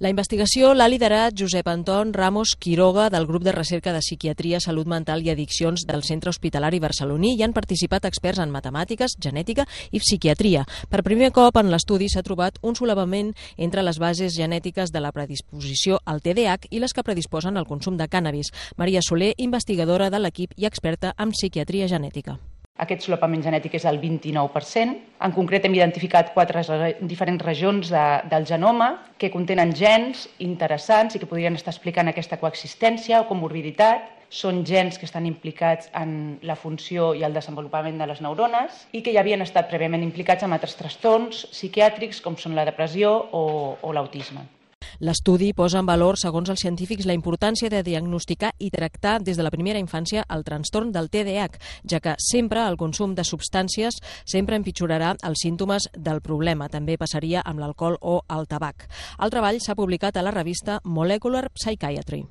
La investigació l'ha liderat Josep Anton Ramos Quiroga del grup de recerca de psiquiatria, salut mental i addiccions del Centre Hospitalari Barceloní i han participat experts en matemàtiques, genètica i psiquiatria. Per primer cop en l'estudi s'ha trobat un solapament entre les bases genètiques de la predisposició al TDAH i les que predisposen al consum de cànnabis. Maria Soler, investigadora de l'equip i experta en psiquiatria genètica. Aquest solapament genètic és del 29%. En concret, hem identificat 4 diferents regions del genoma que contenen gens interessants i que podrien estar explicant aquesta coexistència o comorbiditat. Són gens que estan implicats en la funció i el desenvolupament de les neurones i que ja havien estat prèviament implicats en altres trastorns psiquiàtrics com són la depressió o l'autisme. L'estudi posa en valor, segons els científics, la importància de diagnosticar i tractar des de la primera infància el trastorn del TDAH, ja que sempre el consum de substàncies sempre empitjorarà els símptomes del problema. També passaria amb l'alcohol o el tabac. El treball s'ha publicat a la revista Molecular Psychiatry.